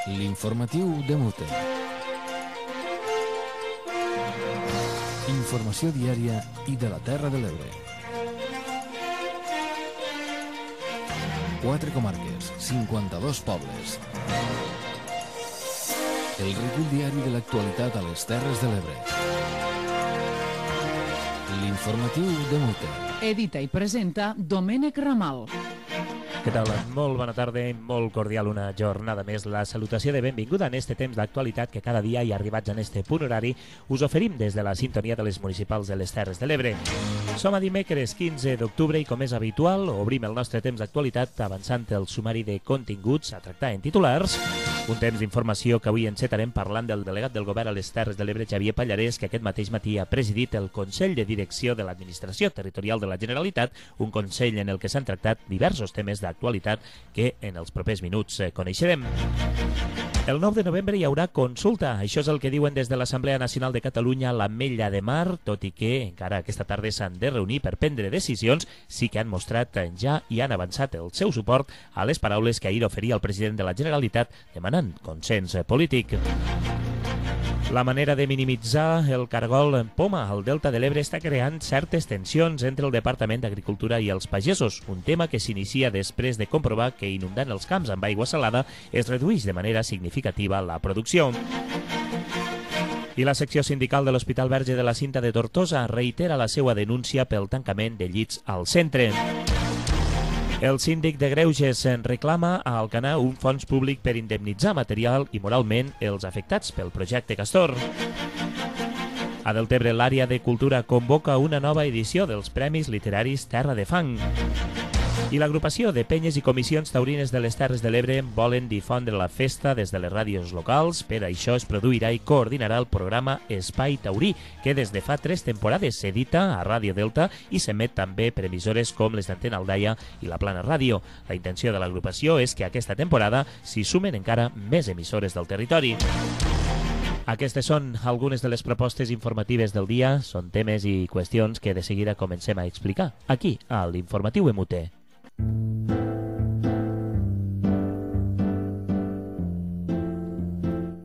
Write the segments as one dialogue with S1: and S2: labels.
S1: L'informatiu de Mute. Informació diària i de la Terra de l'Ebre. 4 comarques, 52 pobles. El recull diari de l'actualitat a les Terres de l'Ebre. L'informatiu de Mute.
S2: Edita i presenta Domènec Ramal.
S3: Què tal? Molt bona tarda i molt cordial una jornada més. La salutació de benvinguda en este temps d'actualitat que cada dia i arribats en este punt horari us oferim des de la sintonia de les municipals de les Terres de l'Ebre. Som a dimecres 15 d'octubre i, com és habitual, obrim el nostre temps d'actualitat avançant el sumari de continguts a tractar en titulars. Un temps d'informació que avui encetarem parlant del delegat del govern a les Terres de l'Ebre, Xavier Pallarès, que aquest mateix matí ha presidit el Consell de Direcció de l'Administració Territorial de la Generalitat, un consell en el que s'han tractat diversos temes d'actualitat que en els propers minuts coneixerem. El 9 de novembre hi haurà consulta. Això és el que diuen des de l'Assemblea Nacional de Catalunya a l'Ametlla de Mar, tot i que encara aquesta tarda s'han de reunir per prendre decisions. Sí que han mostrat ja i han avançat el seu suport a les paraules que ahir oferia el president de la Generalitat demanant consens polític. La manera de minimitzar el cargol en poma al Delta de l'Ebre està creant certes tensions entre el Departament d'Agricultura i els pagesos, un tema que s'inicia després de comprovar que inundant els camps amb aigua salada es redueix de manera significativa la producció. I la secció sindical de l'Hospital Verge de la Cinta de Tortosa reitera la seva denúncia pel tancament de llits al centre. El síndic de Greuges reclama a Alcanar un fons públic per indemnitzar material i moralment els afectats pel projecte Castor. A Deltebre, l'àrea de cultura convoca una nova edició dels Premis Literaris Terra de Fang. I l'agrupació de penyes i comissions taurines de les Terres de l'Ebre volen difondre la festa des de les ràdios locals. Per això es produirà i coordinarà el programa Espai Taurí, que des de fa 3 temporades s'edita a Ràdio Delta i s'emet també per emissores com les d'Antena Aldaia i la Plana Ràdio. La intenció de l'agrupació és que aquesta temporada s'hi sumen encara més emissores del territori. Aquestes són algunes de les propostes informatives del dia. Són temes i qüestions que de seguida comencem a explicar aquí, a l'Informatiu MUT.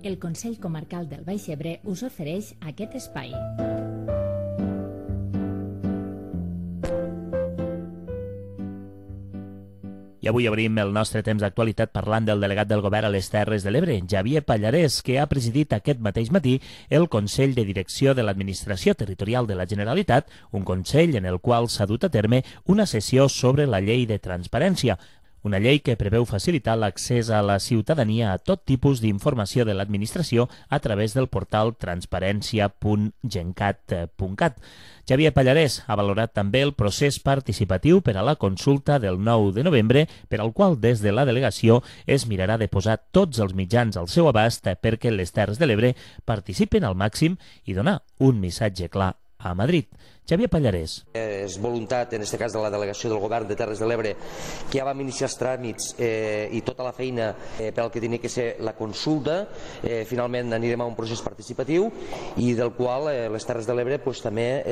S4: El Consell Comarcal del Baix Ebre us ofereix aquest espai.
S3: I avui obrim el nostre temps d'actualitat parlant del delegat del govern a les Terres de l'Ebre, Xavier Pallarès, que ha presidit aquest mateix matí el Consell de Direcció de l'Administració Territorial de la Generalitat, un consell en el qual s'ha dut a terme una sessió sobre la llei de transparència, una llei que preveu facilitar l'accés a la ciutadania a tot tipus d'informació de l'administració a través del portal transparència.gencat.cat. Xavier Pallarès ha valorat també el procés participatiu per a la consulta del 9 de novembre, per al qual des de la delegació es mirarà de posar tots els mitjans al seu abast perquè les Terres de l'Ebre participen al màxim i donar un missatge clar a Madrid. Xavier Pallarès.
S5: És voluntat, en aquest cas de la delegació del govern de Terres de l'Ebre, que ja vam iniciar els tràmits i tota la feina per al que tenia que ser la consulta. Finalment anirem a un procés participatiu i del qual les Terres de l'Ebre també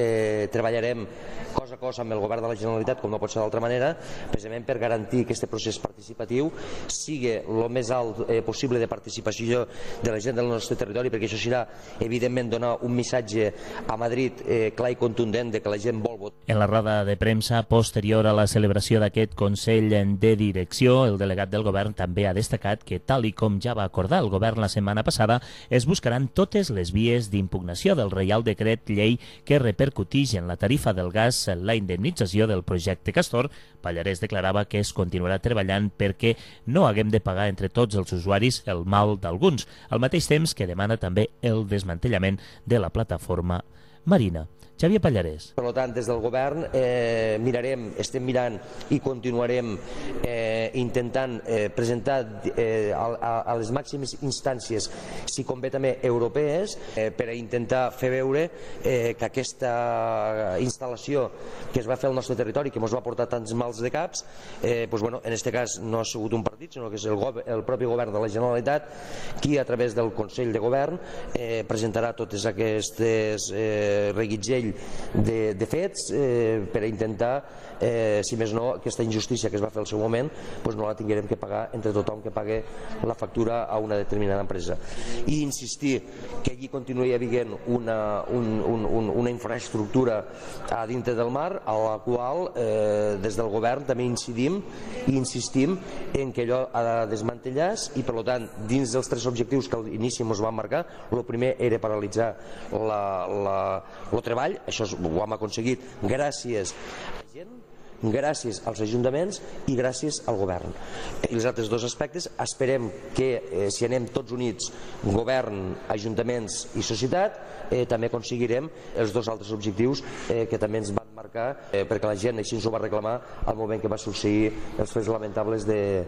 S5: treballarem cos a cos amb el govern de la Generalitat, com no pot ser d'altra manera, precisament per garantir que aquest procés participatiu sigui el més alt possible de participació de la gent del nostre territori, perquè això serà, evidentment, donar un missatge a Madrid clar i contundent de que la gent vol votar.
S3: En la roda de premsa posterior a la celebració d'aquest Consell de Direcció, el delegat del govern també ha destacat que, tal i com ja va acordar el govern la setmana passada, es buscaran totes les vies d'impugnació del Reial Decret Llei que repercutix en la tarifa del gas la indemnització del projecte Castor. Pallarès declarava que es continuarà treballant perquè no haguem de pagar entre tots els usuaris el mal d'alguns, al mateix temps que demana també el desmantellament de la plataforma marina. Xavier Pallarès.
S5: Per tant, des del govern estem mirant i continuarem intentant presentar a les màximes instàncies, si convé també europees, per a intentar fer veure que aquesta instal·lació que es va fer al nostre territori, que ens va portar tants mals de caps, en aquest cas no ha sigut un partit, sinó que és el propi govern de la Generalitat qui, a través del Consell de Govern, presentarà totes aquestes reguitzell seguit de fets per a intentar, si més no, aquesta injustícia que es va fer al seu moment no la tinguem que pagar entre tothom que pague la factura a una determinada empresa. I insistir que allí continuï havent una infraestructura a dintre del mar, a la qual des del govern també incidim i insistim en que allò ha de desmantellar-se i, per tant, dins dels 3 objectius que a l'inici ens van marcar, el primer era paralitzar el treball. Això ho hem aconseguit gràcies a la gent, gràcies als ajuntaments i gràcies al govern. I els altres 2 aspectes esperem que si anem tots units, govern, ajuntaments i societat, també aconseguirem els 2 altres objectius que també ens van marcar, perquè la gent així ens ho va reclamar al moment que va succeir els fets lamentables de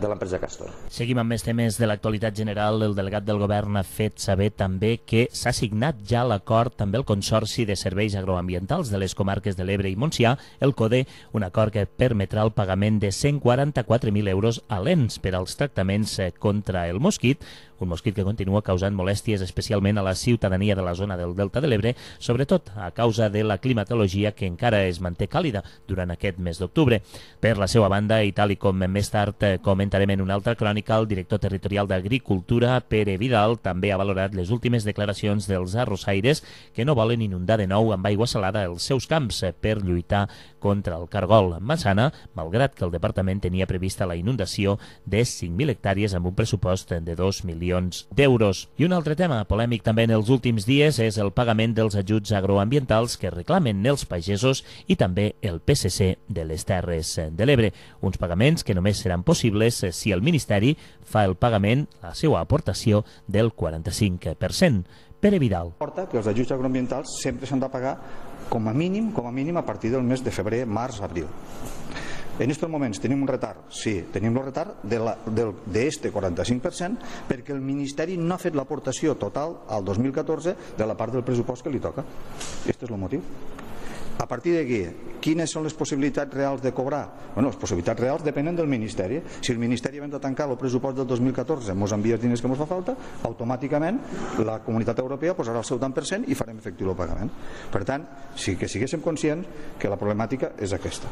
S5: l'empresa Castor.
S3: Seguim amb més temes de l'actualitat general. El delegat del govern ha fet saber també que s'ha signat ja l'acord amb el Consorci de Serveis Agroambientals de les comarques de l'Ebre i Montsià, el CODE, un acord que permetrà el pagament de 144.000 euros a l'ENS per als tractaments contra el mosquit, un mosquit que continua causant molèsties especialment a la ciutadania de la zona del Delta de l'Ebre, sobretot a causa de la climatologia que encara es manté càlida durant aquest mes d'octubre. Per la seva banda, i tal i com més tard comentarem en una altra crònica, el director territorial d'Agricultura, Pere Vidal, també ha valorat les últimes declaracions dels arrossaires que no volen inundar de nou amb aigua salada els seus camps per lluitar contra el cargol. Massana, malgrat que el departament tenia prevista la inundació de 5.000 hectàrees amb un pressupost de 2 milions d'euros. I un altre tema polèmic també en els últims dies és el pagament dels ajuts agroambientals que reclamen els pagesos i també el PSC de les Terres de l'Ebre. Uns pagaments que només seran possibles si el Ministeri fa el pagament, la seva aportació, del 45%. Pere Vidal.
S6: Porta que els ajuts agroambientals sempre s'han de pagar com a mínim a partir del mes de febrer, març, abril. En estos moments tenim un retard, sí, tenim el retard d'este 45% perquè el Ministeri no ha fet l'aportació total al 2014 de la part del pressupost que li toca. Aquest és el motiu. A partir d'aquí, quines són les possibilitats reals de cobrar? Bueno, les possibilitats reals depenen del Ministeri. Si el Ministeri abans de tancar el pressupost del 2014 ens envia els diners que ens fa falta, automàticament la Comunitat Europea posarà el seu tant per cent i farem efectiu el pagament. Per tant, sí que siguéssim conscients que la problemàtica és aquesta.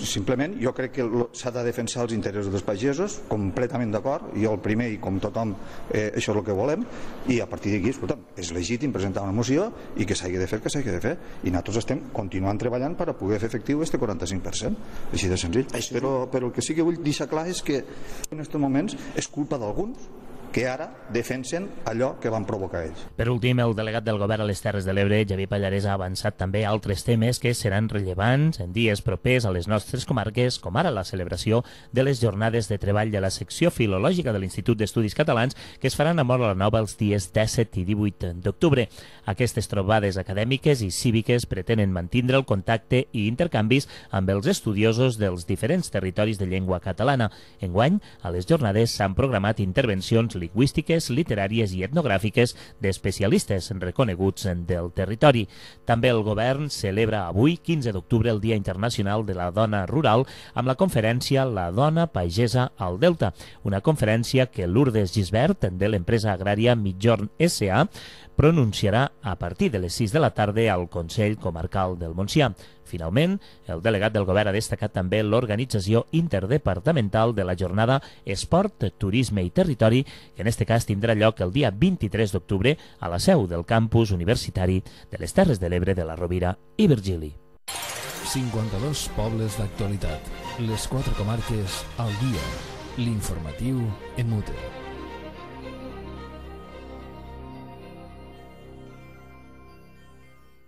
S6: Simplement, jo crec que s'ha de defensar els interessos dels pagesos, completament d'acord, jo el primer i com tothom, això és el que volem, i a partir d'aquí, escolta'm, és legítim presentar una moció i que s'hagi de fer el que s'hagi de fer, i nosaltres estem continuant treballant per a poder fer efectiu este 45%, així de senzill. Però el que sí que vull deixar clar és que en aquests moments és culpa d'alguns que ara defensen allò que van provocar ells.
S3: Per últim, el delegat del govern a les Terres de l'Ebre, Javier Pallarès, ha avançat també altres temes que seran rellevants en dies propers a les nostres comarques, com ara la celebració de les jornades de treball de la secció filològica de l'Institut d'Estudis Catalans, que es faran a Móra la Nova els dies 17 i 18 d'octubre. Aquestes trobades acadèmiques i cíviques pretenen mantindre el contacte i intercanvis amb els estudiosos dels diferents territoris de llengua catalana. Enguany, a les jornades s'han programat intervencions lingüístiques, literàries i etnogràfiques d'especialistes reconeguts del territori. També el govern celebra avui, 15 d'octubre, el Dia Internacional de la Dona Rural, amb la conferència La Dona Pagesa al Delta, una conferència que Lourdes Gisbert, de l'empresa agrària Mitjorn S.A., pronunciarà a partir de les 6 de la tarda al Consell Comarcal del Montsià. Finalment, el delegat del govern ha destacat també l'organització interdepartamental de la jornada Esport, Turisme i Territori, que en aquest cas tindrà lloc el dia 23 d'octubre a la seu del campus universitari de les Terres de l'Ebre de la Rovira i Virgili.
S1: 52 pobles d'actualitat. Les 4 comarques al dia. L'informatiu en Mute.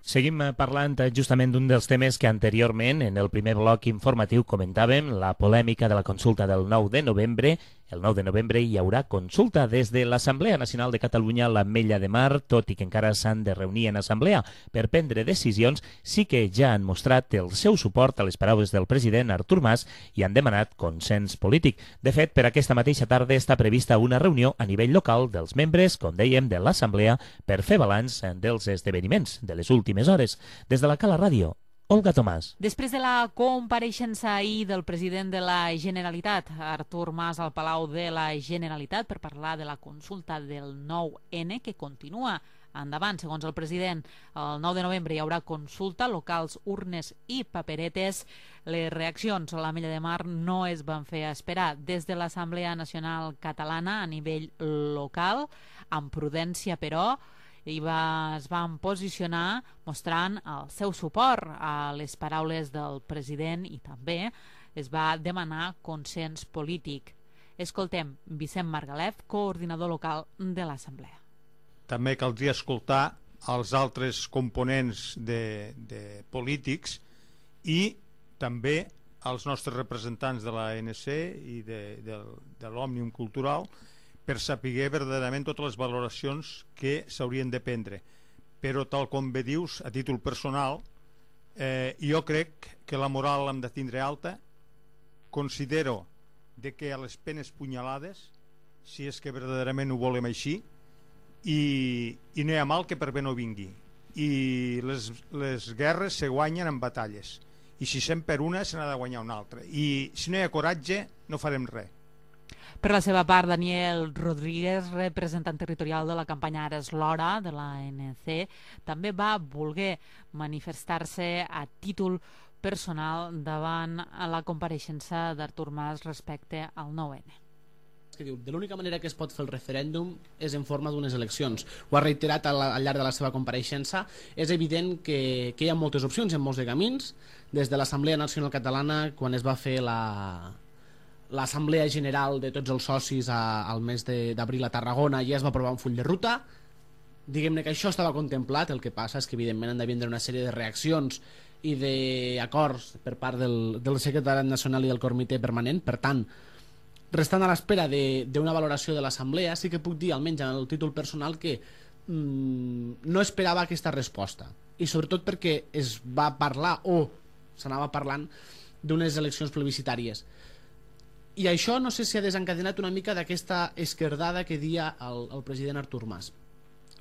S3: Seguim parlant justament d'un dels temes que anteriorment, en el primer bloc informatiu, comentàvem, la polèmica de la consulta del 9 de novembre. El 9 de novembre hi haurà consulta des de l'Assemblea Nacional de Catalunya a l'Ametlla de Mar, tot i que encara s'han de reunir en assemblea per prendre decisions. Sí que ja han mostrat el seu suport a les paraules del president Artur Mas i han demanat consens polític. De fet, per aquesta mateixa tarda està prevista una reunió a nivell local dels membres, com dèiem, de l'Assemblea per fer balanç dels esdeveniments de les últimes hores. Des de la Cala Ràdio, Olga Tomàs.
S2: Després de la compareixença ahir del president de la Generalitat, Artur Mas, al Palau de la Generalitat per parlar de la consulta del 9N, que continua endavant. Segons el president, el 9 de novembre hi haurà consulta, locals, urnes i paperetes. Les reaccions a l'Ametlla de Mar no es van fer esperar. Des de l'Assemblea Nacional Catalana a nivell local, amb prudència però, es van posicionar mostrant el seu suport a les paraules del president i també es va demanar consens polític. Escoltem Vicent Margalef, coordinador local de l'Assemblea.
S7: També caldria escoltar els altres components de polítics i també els nostres representants de l'ANC i de l'Òmnium Cultural per saber verdaderament totes les valoracions que s'haurien de prendre. Però tal com bé dius, a títol personal, jo crec que la moral l'hem de tindre alta. Considero que a les penes punyalades, si és que verdaderament ho volem així, i no hi ha mal que per bé no vingui. I les guerres se guanyen en batalles. I si se'n per una, se n'ha de guanyar una altra. I si no hi ha coratge, no farem res.
S2: Per la seva part, Daniel Rodríguez, representant territorial de la campanya Ara és l'Hora de l'ANC, també va voler manifestar-se a títol personal davant la compareixença d'Artur Mas respecte al 9N.
S8: Que diu, de l'única manera que es pot fer el referèndum és en forma d'unes eleccions. Ho ha reiterat al llarg de la seva compareixença. És evident que hi ha moltes opcions en molts de camins. Des de l'Assemblea Nacional Catalana, quan es va fer l'Assemblea General de tots els socis al mes d'abril a Tarragona, ja es va aprovar un full de ruta. Diguem-ne que això estava contemplat, el que passa és que evidentment han de vindre una sèrie de reaccions i d'acords per part del secretariat nacional i del comitè permanent. Per tant, restant a l'espera d'una valoració de l'Assemblea, sí que puc dir, almenys en el títol personal, que no esperava aquesta resposta. I sobretot perquè es va parlar, o s'anava parlant, d'unes eleccions plebiscitàries. I això no sé si ha desencadenat una mica d'aquesta esquerdada que dia el president Artur Mas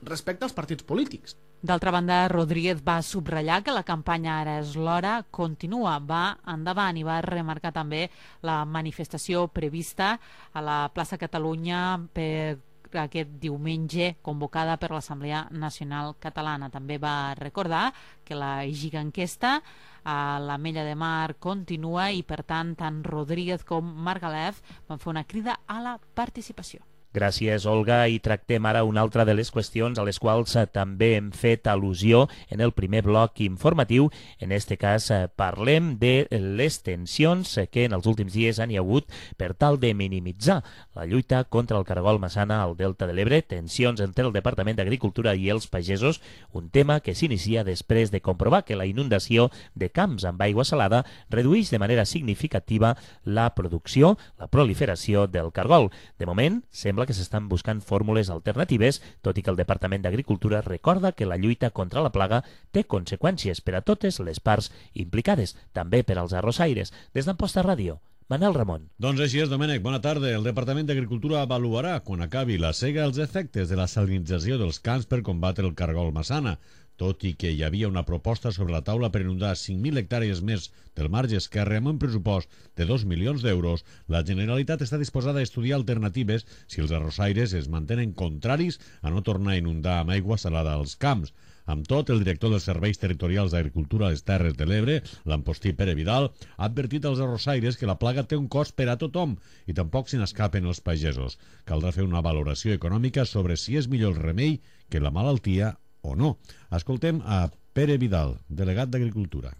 S8: respecte als partits polítics.
S2: D'altra banda, Rodríguez va subratllar que la campanya Ara és l'Hora continua, va endavant, i va remarcar també la manifestació prevista a la plaça Catalunya per aquest diumenge, convocada per l'Assemblea Nacional Catalana. També va recordar que la giganquesta a l'Ametlla de Mar continua i, per tant, tant Rodríguez com Margalef van fer una crida a la participació.
S3: Gràcies, Olga, i tractem ara una altra de les qüestions a les quals també hem fet al·lusió en el primer bloc informatiu. En aquest cas parlem de les tensions que en els últims dies han hi hagut per tal de minimitzar la lluita contra el cargol massana al Delta de l'Ebre, tensions entre el Departament d'Agricultura i els pagesos, un tema que s'inicia després de comprovar que la inundació de camps amb aigua salada redueix de manera significativa la producció, la proliferació del cargol. De moment, sembla que s'estan buscant fórmules alternatives, tot i que el Departament d'Agricultura recorda que la lluita contra la plaga té conseqüències per a totes les parts implicades, també per als arrossaires. Des d'Amposta Ràdio, Manel Ramon.
S9: Doncs així és, Domènec. Bona tarda. El Departament d'Agricultura avaluarà, quan acabi la sega, els efectes de la salinització dels camps per combatre el cargol massana. Tot i que hi havia una proposta sobre la taula per inundar 5.000 hectàrees més del marge esquerre amb un pressupost de 2 milions d'euros, la Generalitat està disposada a estudiar alternatives si els arrossaires es mantenen contraris a no tornar a inundar amb aigua salada als camps. Amb tot, el director dels Serveis Territorials d'Agricultura a les Terres de l'Ebre, l'Ampostí Pere Vidal, ha advertit als arrossaires que la plaga té un cost per a tothom i tampoc se n'escapen els pagesos. Caldrà fer una valoració econòmica sobre si és millor el remei que la malaltia o no. Escoltem a Pere Vidal, delegat d'Agricultura.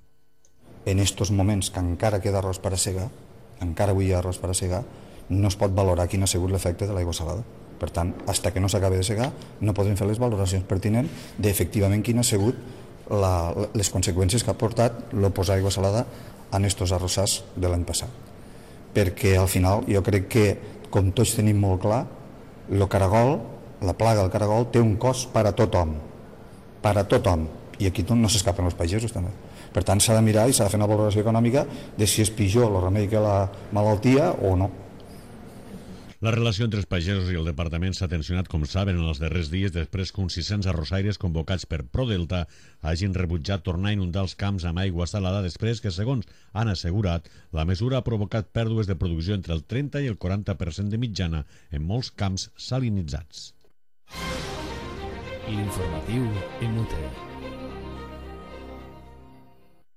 S6: En estos moments que encara queda arròs per a segar, encara avui hi ha arròs per a segar, no es pot valorar quin ha sigut l'efecte de l'aigua salada. Per tant, fins que no s'acabi de segar, no podem fer les valoracions pertinents d'efectivament quin ha sigut les conseqüències que ha portat el posar aigua salada en estos arrossars de l'any passat. Perquè al final jo crec que, com tots tenim molt clar, el caragol, la plaga del caragol té un cost per a tothom. Per a tothom. I aquí no s'escapen els pagesos també. Per tant, s'ha de mirar i s'ha de fer una valoració econòmica de si és pitjor el remei que la malaltia o no.
S9: La relació entre els pagesos i el departament s'ha tensionat, com saben, en els darrers dies després que uns 600 arrossaires convocats per ProDelta hagin rebutjat tornar a inundar els camps amb aigua salada després que, segons han assegurat, la mesura ha provocat pèrdues de producció entre el 30 i el 40% de mitjana en molts camps salinitzats.
S1: L'informatiu MUT.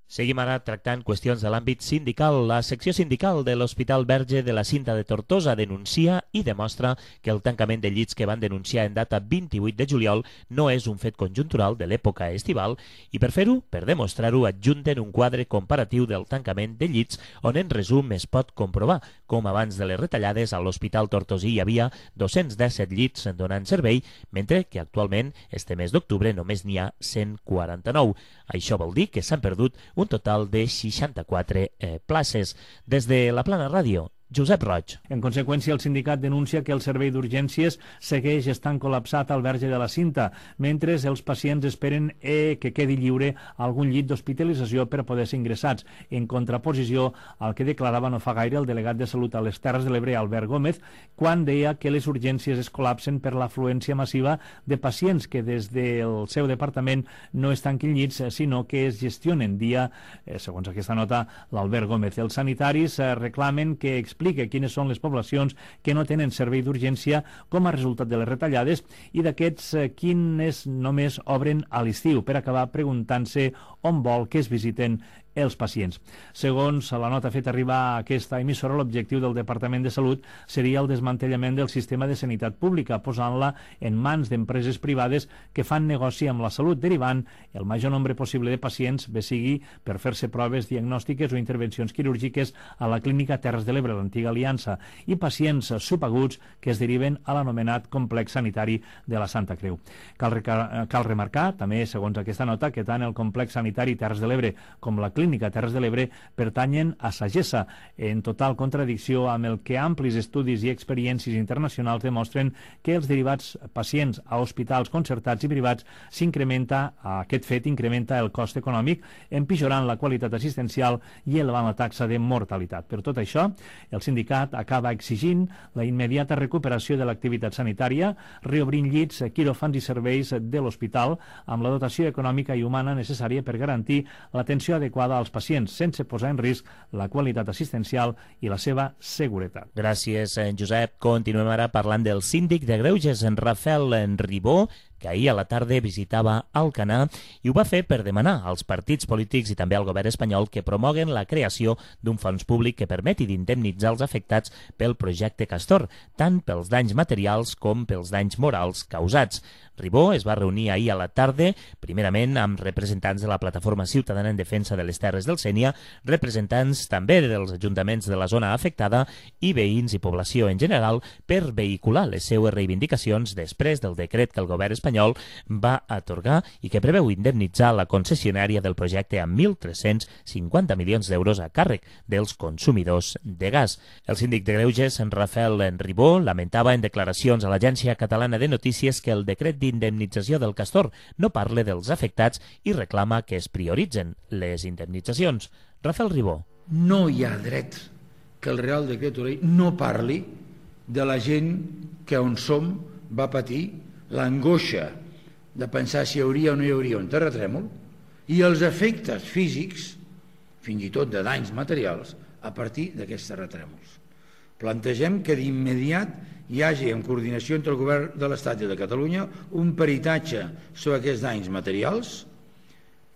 S3: Seguim ara tractant qüestions de l'àmbit sindical. La secció sindical de l'Hospital Verge de la Cinta de Tortosa denuncia i demostra que el tancament de llits que van denunciar en data 28 de juliol no és un fet conjuntural de l'època estival i per fer-ho, per demostrar-ho, adjunten un quadre comparatiu del tancament de llits on en resum es pot comprovar com abans de les retallades a l'Hospital Tortosí hi havia 217 llits donant servei, mentre que actualment, este mes d'octubre, només n'hi ha 149. Això vol dir que s'han perdut un total de 64 places. Des de la Plana Ràdio, Josep Roig.
S10: En conseqüència, el sindicat denuncia que el servei d'urgències segueix estant col·lapsat al Verge de la Cinta, mentre els pacients esperen que quedi lliure algun llit d'hospitalització per poder ser ingressats, en contraposició al que declarava no fa gaire el delegat de Salut a les Terres de l'Ebre, Albert Gómez, quan deia que les urgències es col·lapsen per l'afluència massiva de pacients que des del seu departament no es tanquin llits, sinó que es gestionen dia, segons aquesta nota, l'Albert Gómez. Els sanitaris reclamen que explique quines són les poblacions que no tenen servei d'urgència com a resultat de les retallades i d'aquests quines només obren a l'estiu, per acabar preguntant-se on vol que es visiten els pacients. Segons la nota feta arribar a aquesta emissora, l'objectiu del Departament de Salut seria el desmantellament del sistema de sanitat pública, posant-la en mans d'empreses privades que fan negoci amb la salut, derivant el major nombre possible de pacients, bé sigui per fer-se proves diagnòstiques o intervencions quirúrgiques a la clínica Terres de l'Ebre, l'antiga Aliança, i pacients subaguts que es deriven a l'anomenat complex sanitari de la Santa Creu. Cal remarcar, també, segons aquesta nota, que tant el complex sanitari Terres de l'Ebre com la clínica Terres de l'Ebre pertanyen a Sagessa, en total contradicció amb el que amplis estudis i experiències internacionals demostren que els derivats pacients a hospitals concertats i privats aquest fet incrementa el cost econòmic, empitjorant la qualitat assistencial i elevant la taxa de mortalitat. Per tot això, el sindicat acaba exigint la immediata recuperació de l'activitat sanitària, reobrint llits, quiròfans i serveis de l'hospital amb la dotació econòmica i humana necessària per garantir l'atenció adequada als pacients, sense posar en risc la qualitat assistencial i la seva seguretat.
S3: Gràcies, Josep. Continuem ara parlant del síndic de Greuges, en Rafael Ribó, que ahir a la tarda visitava Alcanar i ho va fer per demanar als partits polítics i també al govern espanyol que promoguen la creació d'un fons públic que permeti d'indemnitzar els afectats pel projecte Castor, tant pels danys materials com pels danys morals causats. Ribó es va reunir ahir a la tarda, primerament amb representants de la Plataforma Ciutadana en Defensa de les Terres del Sénia, representants també dels ajuntaments de la zona afectada i veïns i població en general per vehicular les seues reivindicacions després del decret que el govern espanyol va atorgar i que preveu indemnitzar la concessionària del projecte amb 1.350 milions d'euros a càrrec dels consumidors de gas. El síndic de Greuges, en Rafael Ribó, lamentava en declaracions a l'Agència Catalana de Notícies que el decret d'indemnització del Castor no parla dels afectats i reclama que es prioritzen les indemnitzacions. Rafael Ribó.
S11: No hi ha dret que el Real Decreto Ley no parli de la gent que on som va patir l'angoixa de pensar si hi hauria o no hi hauria un terratrèmol i els efectes físics, fins i tot de danys materials, a partir d'aquests terratrèmols. Plantegem que d'immediat hi hagi, en coordinació entre el Govern de l'Estat i de Catalunya, un peritatge sobre aquests danys materials,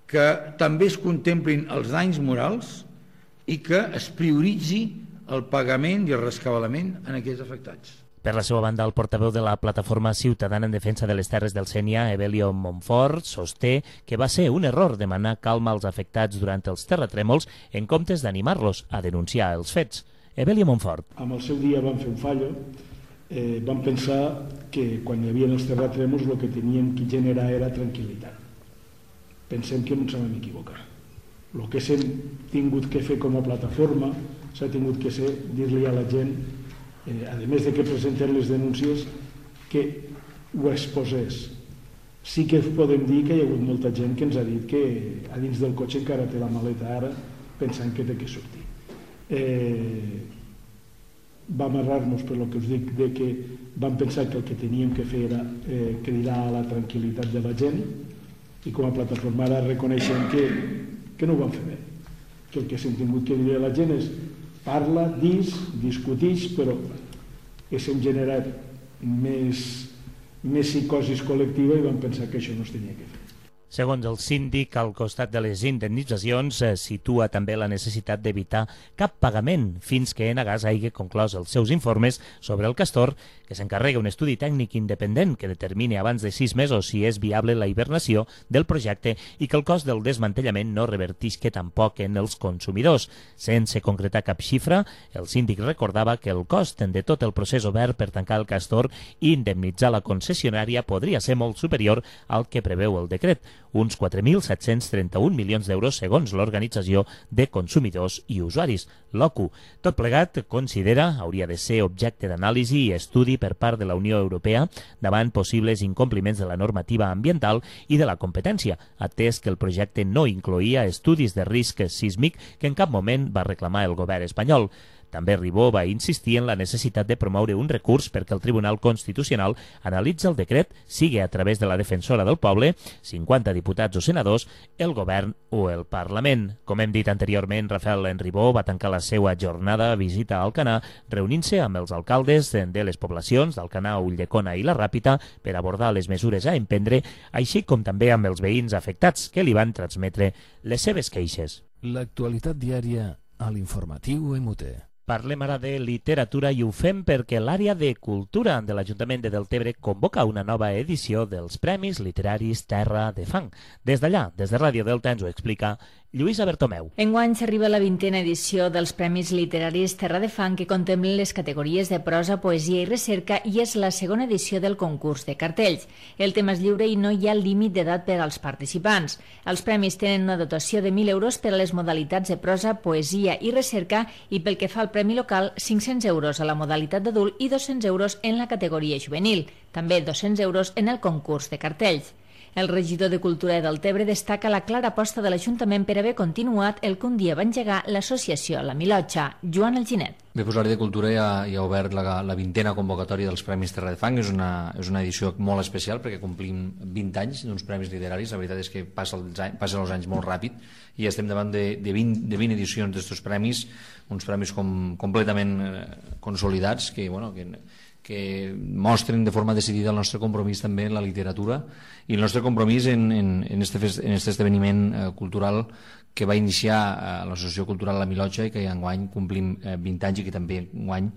S11: que també es contemplin els danys morals i que es prioritzi el pagament i el rescabalament en aquests afectats.
S3: Per la seva banda, el portaveu de la Plataforma Ciutadana en Defensa de les Terres del Sénia, Evelio Montfort, sosté que va ser un error demanar calma als afectats durant els terratrèmols en comptes d'animar-los a denunciar els fets. Evelio Montfort.
S12: Amb el seu dia van fer un fallo, van pensar que quan hi havia els terratrèmols el que teníem que generar era tranquil·litat. Pensem que no ens vam equivocar. El que s'hem tingut que fer com a plataforma s'ha tingut que ser dir-li a la gent, a més de que presenten les denúncies, que ho exposés. Sí que podem dir que hi ha hagut molta gent que ens ha dit que a dins del cotxe encara té la maleta ara pensant que té que sortir. Vam errar-nos per el que us dic, de que vam pensar que el que teníem que fer era cridar a la tranquil·litat de la gent i com a plataforma ara reconeixem que no ho vam fer bé, que el que s'hem tingut que dir a la gent és parla, discutix, però que s'hem generat més més psicosis col·lectiva i van pensar que això no es tenia que fer.
S3: Segons el síndic, al costat de les indemnitzacions, situa també la necessitat d'evitar cap pagament fins que Enagás hagi conclòs els seus informes sobre el castor, que s'encarrega un estudi tècnic independent que determini abans de 6 mesos si és viable la hibernació del projecte i que el cost del desmantellament no revertisca tampoc en els consumidors. Sense concretar cap xifra, el síndic recordava que el cost de tot el procés obert per tancar el castor i indemnitzar la concessionària podria ser molt superior al que preveu el decret, uns 4.731 milions d'euros segons l'Organització de Consumidors i Usuaris, l'OCU. Tot plegat, considera, hauria de ser objecte d'anàlisi i estudi per part de la Unió Europea davant possibles incompliments de la normativa ambiental i de la competència, atès que el projecte no incloïa estudis de risc sísmic que en cap moment va reclamar el govern espanyol. També Ribó va insistir en la necessitat de promoure un recurs perquè el Tribunal Constitucional analitzi el decret, sigui a través de la defensora del poble, 50 diputats o senadors, el govern o el Parlament. Com hem dit anteriorment, Rafael Ribó va tancar la seva jornada a visita a Alcanar, reunint-se amb els alcaldes de les poblacions d'Alcanar, Ulldecona i la Ràpita per abordar les mesures a emprendre, així com també amb els veïns afectats que li van transmetre les seves queixes.
S1: L'actualitat diària a l'informatiu MUT.
S3: Parlem ara de literatura i ho fem perquè l'àrea de cultura de l'Ajuntament de Deltebre convoca una nova edició dels Premis Literaris Terra de Fang. Des d'allà, des de Ràdio Delta, ens ho explica Lluïsa Bertomeu.
S13: Enguany s'arriba a la 20a edició dels Premis Literaris Terra de Fang, que contemplen les categories de prosa, poesia i recerca, i és la segona edició del concurs de cartells. El tema és lliure i no hi ha límit d'edat per als participants. Els premis tenen una dotació de 1.000 euros per a les modalitats de prosa, poesia i recerca, i pel que fa al premi local, 500 euros a la modalitat d'adult i 200 euros en la categoria juvenil. També 200 euros en el concurs de cartells. El regidor de Cultura de Deltebre destaca la clara aposta de l'Ajuntament per haver continuat el que un dia va engegar l'associació La Milotxa. Joan Alginet.
S14: Bé, doncs l'àrea de Cultura ja ha obert la 20a convocatòria dels Premis Terra de Fang. És una edició molt especial perquè complim 20 anys d'uns premis literaris. La veritat és que passen els anys molt ràpid i estem davant de 20 edicions d'estos premis, uns premis completament consolidats que mostren de forma decidida el nostre compromís també en la literatura i el nostre compromís en este esdeveniment cultural que va iniciar l'Associació Cultural La Milotxa i que enguany complim 20 anys i que també enguany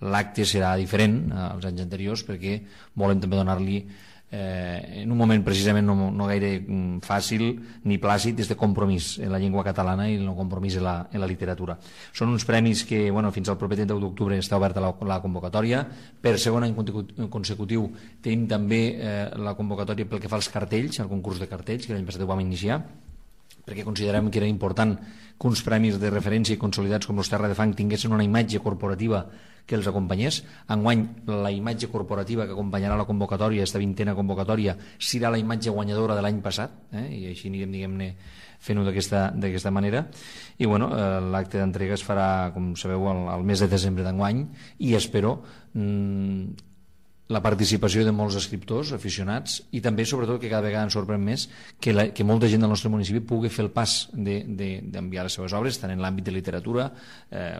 S14: l'acte serà diferent als anys anteriors perquè volem també donar-li en un moment precisament no gaire fàcil ni plàcid este compromís en la llengua catalana i el compromís en la literatura. Són uns premis que fins al proper 30 d'octubre està oberta la convocatòria. Per segon any consecutiu tenim també la convocatòria pel que fa als cartells, al concurs de cartells, que l'any passat ho vam iniciar, perquè considerem que era important que uns premis de referència i consolidats com els Terra de Fang tinguessin una imatge corporativa que els acompanyés. Enguany, la imatge corporativa que acompanyarà la convocatòria, aquesta 20a convocatòria, serà la imatge guanyadora de l'any passat, i així anirem, diguem-ne, fent-ho d'aquesta manera. I l'acte d'entrega es farà, com sabeu, al mes de desembre d'enguany i espero la participació de molts escriptors aficionats i també, sobretot, que cada vegada ens sorprèn més que molta gent del nostre municipi pugui fer el pas d'enviar les seves obres, tant en l'àmbit de literatura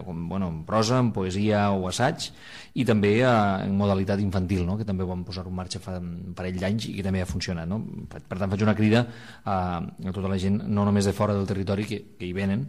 S14: com en prosa, en poesia o assaig, i també en modalitat infantil, que també ho vam posar en marxa fa un parell d'anys i que també ha funcionat. Per tant, faig una crida a tota la gent, no només de fora del territori, que hi venen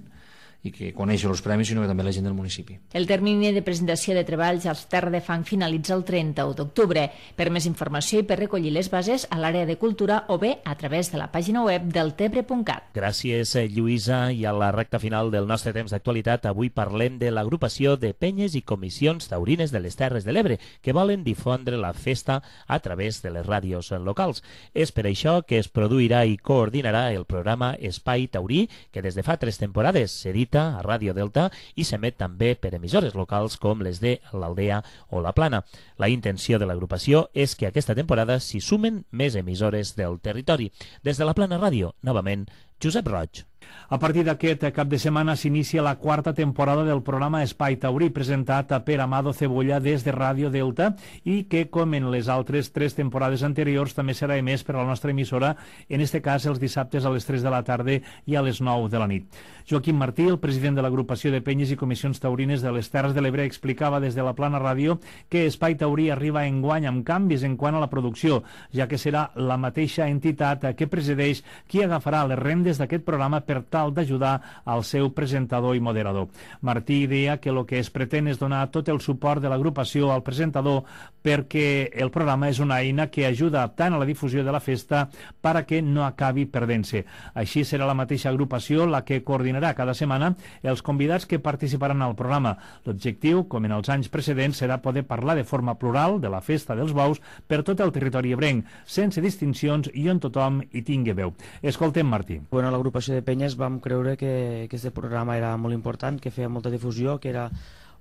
S14: i que coneixen els premis, sinó que també la gent del municipi.
S13: El termini de presentació de treballs als Terra de Fang finalitza el 31 d'octubre. Per més informació i per recollir les bases a l'àrea de cultura o bé a través de la pàgina web deltebre.cat.
S3: Gràcies, Lluïsa. I a la recta final del nostre temps d'actualitat, avui parlem de l'agrupació de penyes i comissions taurines de les Terres de l'Ebre que volen difondre la festa a través de les ràdios locals. És per això que es produirà i coordinarà el programa Espai Taurí, que des de fa 3 temporades s'edita a Ràdio Delta i s'emet també per emissores locals com les de l'Aldea o la Plana. La intenció de l'agrupació és que aquesta temporada s'hi sumen més emissores del territori. Des de la Plana Ràdio, novament, Josep Roig.
S10: A partir d'aquest cap de setmana s'inicia la quarta temporada del programa Espai Taurí, presentat per Amado Cebolla des de Ràdio Delta i que, com en les altres 3 temporades anteriors, també serà emès per a la nostra emissora, en este cas els dissabtes a les 3 de la tarda i a les 9 de la nit. Joaquim Martí, el president de l'agrupació de penyes i comissions taurines de les Terres de l'Ebre, explicava des de la Plana Ràdio que Espai Taurí arriba enguany amb canvis en quant a la producció, ja que serà la mateixa entitat que presideix qui agafarà les rendes d'aquest programa per tal d'ajudar al seu presentador i moderador. Martí deia que el que es pretén és donar tot el suport de l'agrupació al presentador perquè el programa és una eina que ajuda tant a la difusió de la festa perquè no acabi perdent-se. Així serà la mateixa agrupació la que coordinarà cada setmana els convidats que participaran al programa. L'objectiu, com en els anys precedents, serà poder parlar de forma plural de la festa dels bous per tot el territori ebrenc, sense distincions i on tothom hi tingui veu. Escoltem Martí.
S15: Bueno, l'agrupació de penyes vam creure que aquest programa era molt important, que feia molta difusió, que era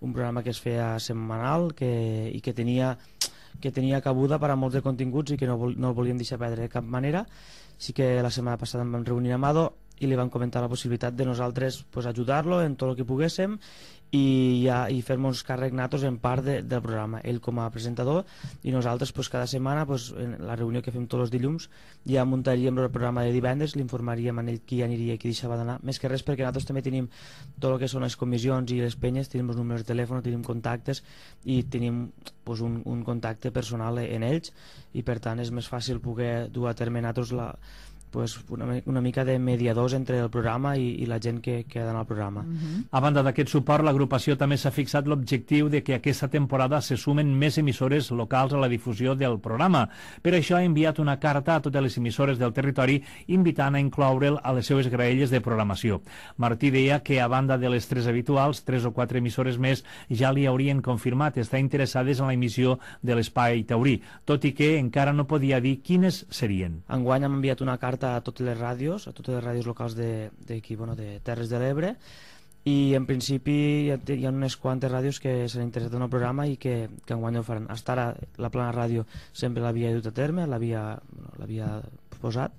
S15: un programa que es feia setmanal i que tenia cabuda per a molts de continguts i que no el volíem deixar perdre de cap manera. Sí que la setmana passada em vam reunir amb Amado i li vam comentar la possibilitat de nosaltres ajudar-lo en tot el que poguéssim i fer-nos càrrec natos en part del programa, ell com a presentador i nosaltres cada setmana en la reunió que fem tots els dilluns ja muntaríem el programa de divendres, l'informaríem a ell qui aniria i qui deixava d'anar, més que res perquè nosaltres també tenim tot el que són les comissions i les penyes, tenim els números de telèfon, tenim contactes i tenim un contacte personal en ells i per tant és més fàcil poder dur a terme nosaltres una mica de mediadors entre el programa i la gent que ha d'anar al programa.
S10: A banda d'aquest suport, l'agrupació també s'ha fixat l'objectiu de que aquesta temporada se sumen més emissores locals a la difusió del programa. Per això ha enviat una carta a totes les emissores del territori invitant a incloure'l a les seves graelles de programació. Martí deia que a banda de les 3 habituals, 3 o 4 emissores més ja li haurien confirmat estar interessades en la emissió de l'Espai Taurí, tot i que encara no podia dir quines serien.
S15: Enguany hem enviat una carta a totes les ràdios locals de Terres de l'Ebre i en principi hi ha unes quantes ràdios que s'han interessat en el programa i que enguany ho faran. Hasta ara la Plana Ràdio sempre l'havia dut a terme, l'havia posat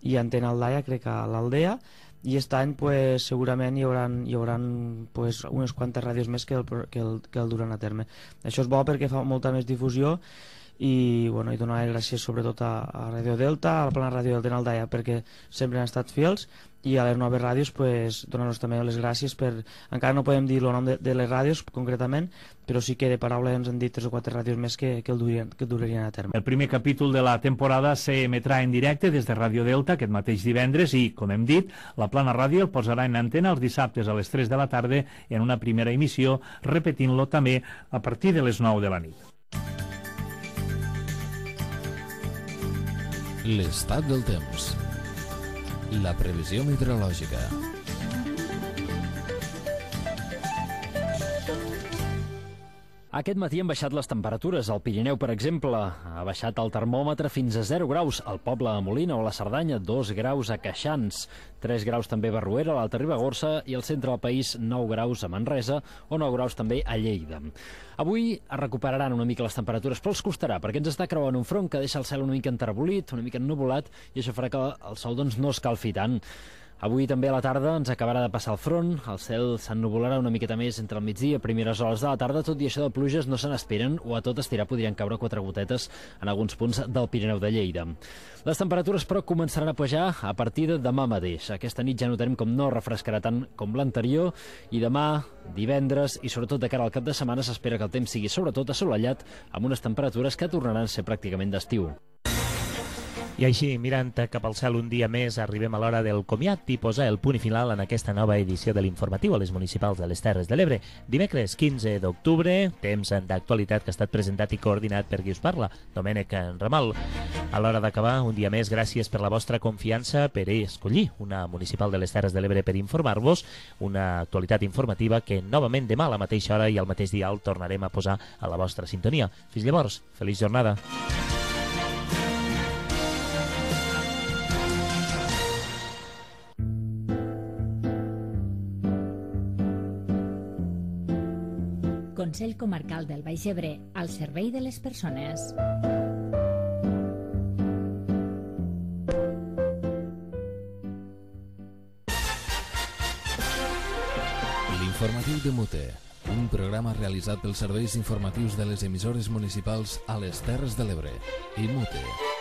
S15: i Antena Aldaia crec que a l'Aldea i aquest any segurament hi haurà unes quantes ràdios més que el duran a terme. Això és bo perquè fa molta més difusió i donar les gràcies sobretot a Ràdio Delta, a la Plana Ràdio del Aldaia perquè sempre han estat fidels i a les noves ràdios donar-nos també les gràcies encara no podem dir el nom de les ràdios concretament, però sí que de paraula ens han dit 3 o 4 ràdios més que el durarien a terme.
S10: El primer capítol de la temporada s'emetrà en directe des de Ràdio Delta aquest mateix divendres i, com hem dit, la Plana Ràdio el posarà en antena els dissabtes a les 3 de la tarda en una primera emissió, repetint-lo també a partir de les 9 de la nit.
S1: L'estat del temps. La previsió meteorològica.
S16: Aquest matí han baixat les temperatures. Al Pirineu, per exemple, ha baixat el termòmetre fins a 0 graus. Al poble de Molina o la Cerdanya, 2 graus a Queixans, 3 graus també a Barruera, a l'Alta Ribagorça i al centre del país 9 graus a Manresa o 9 graus també a Lleida. Avui es recuperaran una mica les temperatures, però els costarà, perquè ens està creuant un front que deixa el cel una mica enterbolit, una mica ennuvolat, i això farà que el sol no escalfi tant. Avui també a la tarda ens acabarà de passar el front, el cel s'ennuvolarà una miqueta més entre el migdia i primeres hores de la tarda, tot i això de pluges no se n'esperen, o a tot estirar podrien caure 4 gotetes en alguns punts del Pirineu de Lleida. Les temperatures, però, començaran a pujar a partir de demà mateix. Aquesta nit ja notarem com no refrescarà tant com l'anterior, i demà, divendres i sobretot de cara al cap de setmana s'espera que el temps sigui sobretot assolellat amb unes temperatures que tornaran a ser pràcticament d'estiu.
S3: I així, mirant cap al cel un dia més, arribem a l'hora del comiat i posar el punt final en aquesta nova edició de l'informatiu a les municipals de les Terres de l'Ebre. Dimecres 15 d'octubre, temps d'actualitat que ha estat presentat i coordinat per qui us parla, Domènec Ramal. A l'hora d'acabar, un dia més, gràcies per la vostra confiança per escollir una municipal de les Terres de l'Ebre per informar-vos, una actualitat informativa que novament demà a la mateixa hora i al mateix dial tornarem a posar a la vostra sintonia. Fins llavors, feliç jornada.
S4: Consell Comarcal del Baix Ebre, al servei de les persones.
S1: L'informatiu de Mute, un programa realitzat pels serveis informatius de les emissores municipals a les Terres de l'Ebre i Mute.